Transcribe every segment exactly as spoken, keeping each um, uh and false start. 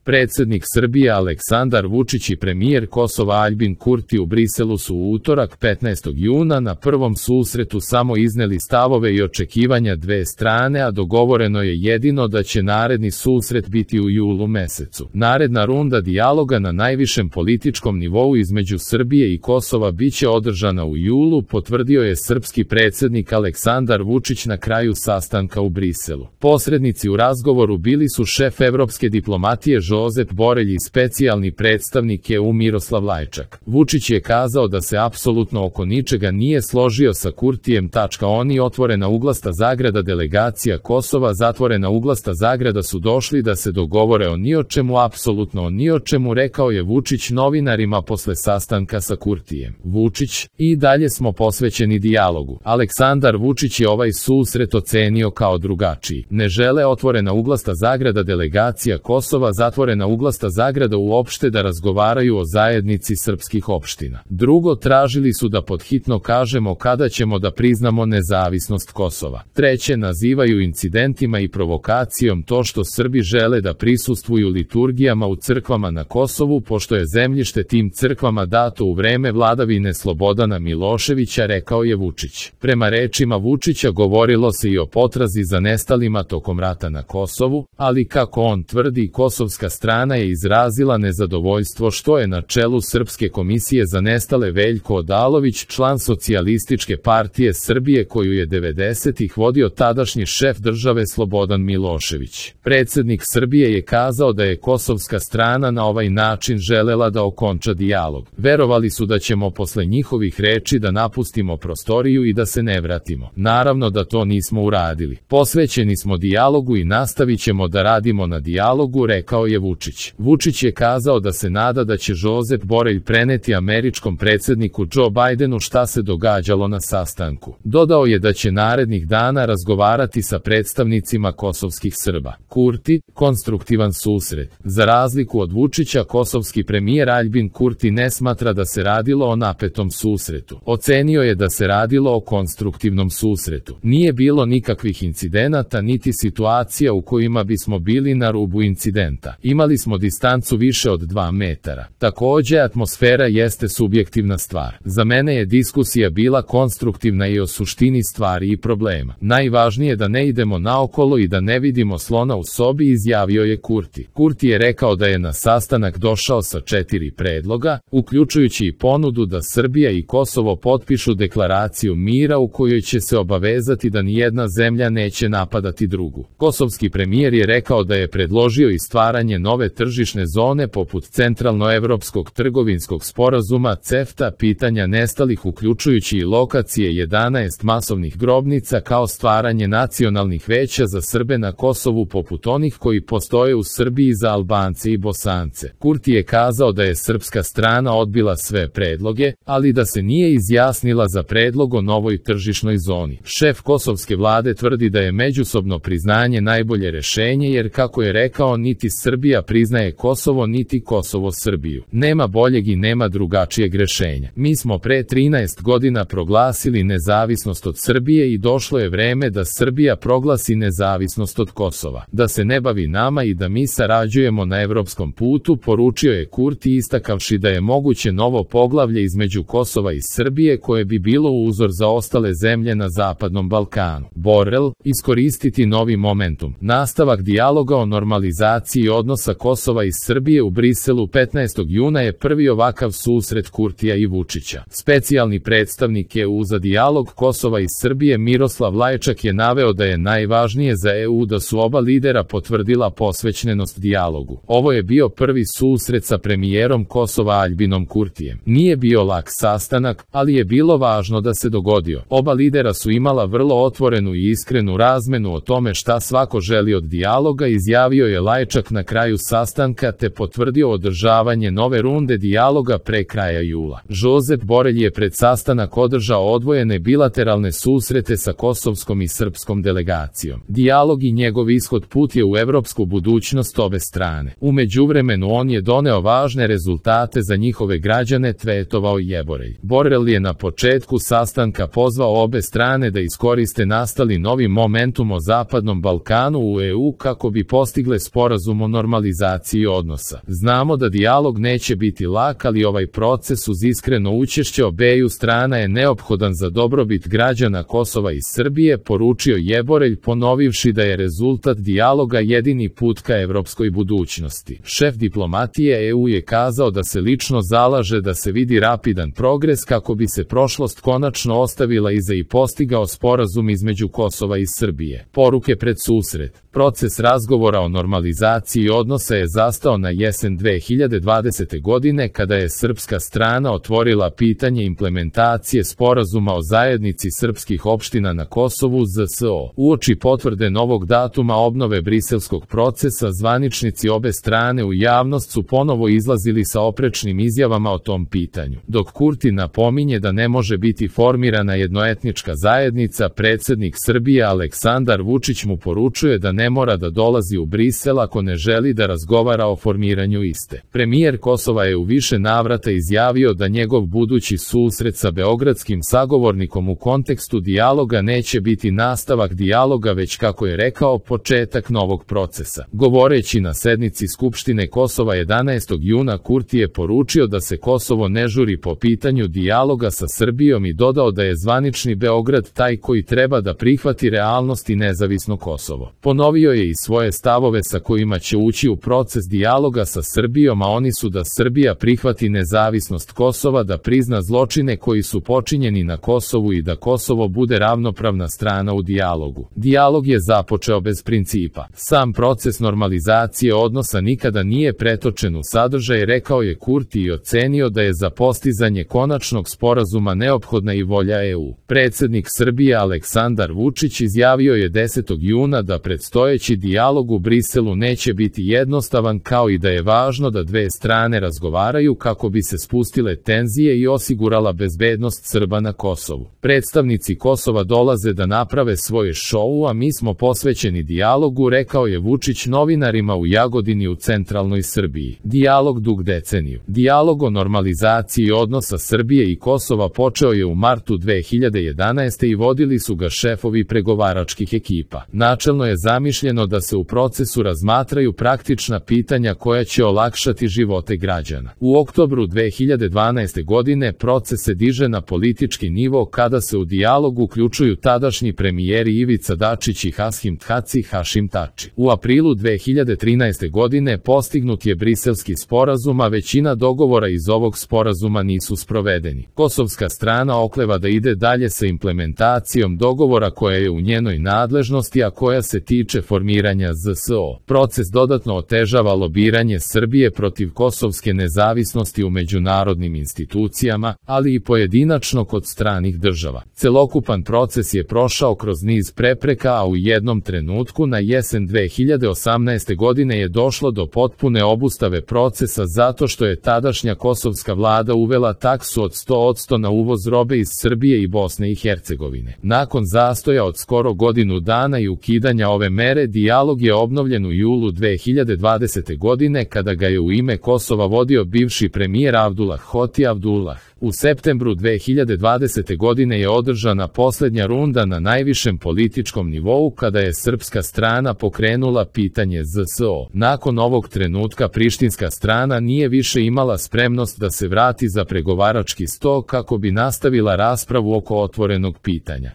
Predsjednik Srbije Aleksandar Vučić i premijer Kosova Aljbin Kurti u Briselu su u utorak petnaestog juna na prvom susretu samo izneli stavove i očekivanja dve strane, a dogovoreno je jedino da će naredni susret biti u julu mesecu. Naredna runda dijaloga na najvišem političkom nivou između Srbije i Kosova biće održana u julu, potvrdio je srpski predsjednik Aleksandar Vučić na kraju sastanka u Briselu. Posrednici u razgovoru bili su šef evropske diplomatije Josep Borelj i specijalni predstavnik E U Miroslav Lajčak. Vučić je kazao da se apsolutno oko ničega nije složio sa Kurtijem. Oni otvorena uglasta zagrada delegacija Kosova zatvorena uglasta zagrada su došli da se dogovore o ni o čemu, apsolutno o ni o čemu, rekao je Vučić novinarima posle sastanka sa Kurtijem. Vučić: i dalje smo posvećeni dijalogu. Aleksandar Vučić je ovaj susret ocenio kao drugačiji. Ne žele otvorena uglasta zagrada delegacija Kosova zatvorena uglasta zagrada uopšte da razgovaraju o zajednici srpskih opština. Drugo, tražili su da podhitno kažemo kada ćemo da priznamo nezavisnost Kosova. Treće, nazivaju incidentima i provokacijom to što Srbi žele da prisustvuju liturgijama u crkvama na Kosovu, pošto je zemljište tim crkvama dato u vreme vladavine Slobodana Miloševića, rekao je Vučić. Prema rečima Vučića govorilo se i o potrazi za nestalima tokom rata na Kosovu, ali kako on tvrdi, kosovska strana je izrazila nezadovoljstvo što je na čelu Srpske komisije za nestale Veljko Odalović, član Socijalističke partije Srbije koju je devedesetih vodio tadašnji šef države Slobodan Milošević. Predsjednik Srbije je kazao da je kosovska strana na ovaj način želela da okonča dijalog. Verovali su da ćemo posle njihovih reči da napustimo prostoriju i da se ne vratimo. Naravno da to nismo uradili. Posvećeni smo dijalogu i nastavit ćemo da radimo na dijalogu, rekao je Vučić. Vučić je kazao da se nada da će Josep Borelj preneti američkom predsjedniku Joe Bidenu šta se događalo na sastanku. Dodao je da će narednih dana razgovarati sa predstavnicima kosovskih Srba. Kurti: konstruktivan susret. Za razliku od Vučića, kosovski premijer Aljbin Kurti ne smatra da se radilo o napetom susretu. Ocenio je da se radilo o konstruktivnom susretu. Nije bilo nikakvih incidenata niti situacija u kojima bismo bili na rubu incidenta. Imali smo distancu više od dva metara. Takođe, atmosfera jeste subjektivna stvar. Za mene je diskusija bila konstruktivna i o suštini stvari i problema. Najvažnije je da ne idemo naokolo i da ne vidimo slona u sobi, izjavio je Kurti. Kurti je rekao da je na sastanak došao sa četiri predloga, uključujući i ponudu da Srbija i Kosovo potpišu deklaraciju mira u kojoj će se obavezati da nijedna zemlja neće napadati drugu. Kosovski premijer je rekao da je predložio i stvaranje nove tržišne zone poput Centralnoevropskog trgovinskog sporazuma CEFTA, pitanja nestalih uključujući i lokacije jedanaest masovnih grobnica, kao stvaranje nacionalnih veća za Srbe na Kosovu poput onih koji postoje u Srbiji za Albance i Bosance. Kurti je kazao da je srpska strana odbila sve predloge, ali da se nije izjasnila za predlog o novoj tržišnoj zoni. Šef kosovske vlade tvrdi da je međusobno priznanje najbolje rešenje jer, kako je rekao, niti Srbija priznaje Kosovo niti Kosovo Srbiju. Nema boljeg i nema drugačijeg rešenja. Mi smo pre trinaest godina proglasili nezavisnost od Srbije i došlo je vreme da Srbija proglasi nezavisnost od Kosova. Da se ne bavi nama i da mi sarađujemo na evropskom putu, poručio je Kurti, istakavši da je moguće novo poglavlje između Kosova i Srbije koje bi bilo uzor za ostale zemlje na Zapadnom Balkanu. Borel: iskoristiti novi momentum. Nastavak dijaloga o normalizaciji odnosa Kosova i Srbije u Briselu petnaestog juna je prvi ovakav susret Kurtija i Vučića. Specijalni predstavnik E U za dijalog Kosova i Srbije Miroslav Lajčak je naveo da je najvažnije za E U da su oba lidera potvrdila posvećenost dijalogu. Ovo je bio prvi susret sa premijerom Kosova Aljbinom Kurtijem. Nije bio lak sastanak, ali je bilo važno da se dogodio. Oba lidera su imala vrlo otvorenu i iskrenu razmenu o tome šta svako želi od dijaloga, izjavio je Lajčak na kraju sastanka, te potvrdio održavanje nove runde dijaloga pre kraja jula. Josep Borelj je pred sastanak održao odvojene bilateralne susrete sa kosovskom i srpskom delegacijom. Dijalog i njegov ishod put je u evropsku budućnost ove strane. U međuvremenu on je doneo važne rezultate za njihove građane, tweetovao je Borelj. Borelj je na početku sastanka pozvao obe strane da iskoriste nastali novi momentum o Zapadnom Balkanu u E U kako bi postigle sporazum o normalizaciji normalizaciji odnosa. Znamo da dijalog neće biti lak, ali ovaj proces uz iskreno učešće obeju strana je neophodan za dobrobit građana Kosova i Srbije, poručio Jeborelj, ponovivši da je rezultat dijaloga jedini put ka evropskoj budućnosti. Šef diplomatije E U je kazao da se lično zalaže da se vidi rapidan progres kako bi se prošlost konačno ostavila iza i postigao sporazum između Kosova i Srbije. Poruke pred susret. Proces razgovora o normalizaciji odnosa je zastao na jesen dve hiljade dvadesete. godine kada je srpska strana otvorila pitanje implementacije sporazuma o zajednici srpskih opština na Kosovu Z S O. Uoči potvrde novog datuma obnove briselskog procesa, zvaničnici obe strane u javnost su ponovo izlazili sa oprečnim izjavama o tom pitanju. Dok Kurti napominje da ne može biti formirana jednoetnička zajednica, predsjednik Srbije Aleksandar Vučić mu poručuje da ne mora da dolazi u Brisel ako ne želi da razgovara o formiranju iste. Premijer Kosova je u više navrata izjavio da njegov budući susret sa beogradskim sagovornikom u kontekstu dijaloga neće biti nastavak dijaloga, već, kako je rekao, početak novog procesa. Govoreći na sednici Skupštine Kosova jedanaestog juna, Kurti je poručio da se Kosovo ne žuri po pitanju dijaloga sa Srbijom i dodao da je zvanični Beograd taj koji treba da prihvati realnost i nezavisno Kosovo. Ponovio je i svoje stavove sa kojima će ući u proces dijaloga sa Srbijom, a oni su da Srbija prihvati nezavisnost Kosova, da prizna zločine koji su počinjeni na Kosovu i da Kosovo bude ravnopravna strana u dijalogu. Dijalog je započeo bez principa. Sam proces normalizacije odnosa nikada nije pretočen u sadržaj, rekao je Kurti i ocenio da je za postizanje konačnog sporazuma neophodna i volja E U. Predsjednik Srbije Aleksandar Vučić izjavio je desetog juna da predstojeći dijalog u Briselu neće biti jednostavan, kao i da je važno da dve strane razgovaraju kako bi se spustile tenzije i osigurala bezbednost Srba na Kosovu. Predstavnici Kosova dolaze da naprave svoje šou, a mi smo posvećeni dijalogu, rekao je Vučić novinarima u Jagodini u centralnoj Srbiji. Dijalog dug deceniju. Dijalog o normalizaciji odnosa Srbije i Kosova počeo je u martu dve hiljade jedanaeste. i vodili su ga šefovi pregovaračkih ekipa. Načelno je zamišljeno da se u procesu razmatraju praktična pitanja koja će olakšati živote građana. U oktobru dve hiljade dvanaeste. godine proces se diže na politički nivo kada se u dijalog uključuju tadašnji premijeri Ivica Dačić i Hašim Thaci Hašim Tači. U aprilu dve hiljade trinaeste. godine postignut je briselski sporazum, a većina dogovora iz ovog sporazuma nisu sprovedeni. Kosovska strana okleva da ide dalje sa implementacijom dogovora koja je u njenoj nadležnosti, a koja se tiče formiranja Z S O. Proces dodatno otežava lobiranje Srbije protiv kosovske nezavisnosti u međunarodnim institucijama, ali i pojedinačno kod stranih država. Celokupan proces je prošao kroz niz prepreka, a u jednom trenutku na jesen dve hiljade osamnaeste. godine je došlo do potpune obustave procesa zato što je tadašnja kosovska vlada uvela taksu od sto posto na uvoz robe iz Srbije i Bosne i Hercegovine. Nakon zastoja od skoro godinu dana i ukidanja ove mere, dijalog je obnovljen u julu dve hiljade dvadesete. godine kada ga je u ime Kosova vodio bivši premijer Abdullah Hoti Abdullah. U septembru dve hiljade dvadesete. godine je održana posljednja runda na najvišem političkom nivou kada je srpska strana pokrenula pitanje Z S O. Nakon ovog trenutka prištinska strana nije više imala spremnost da se vrati za pregovarački sto kako bi nastavila raspravu oko otvorenog pitanja.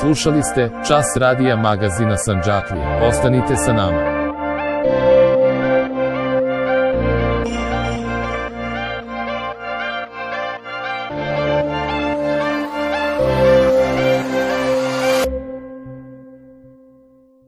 Slušali ste Čas radija magazina Sandžaklija. Ostanite sa nama.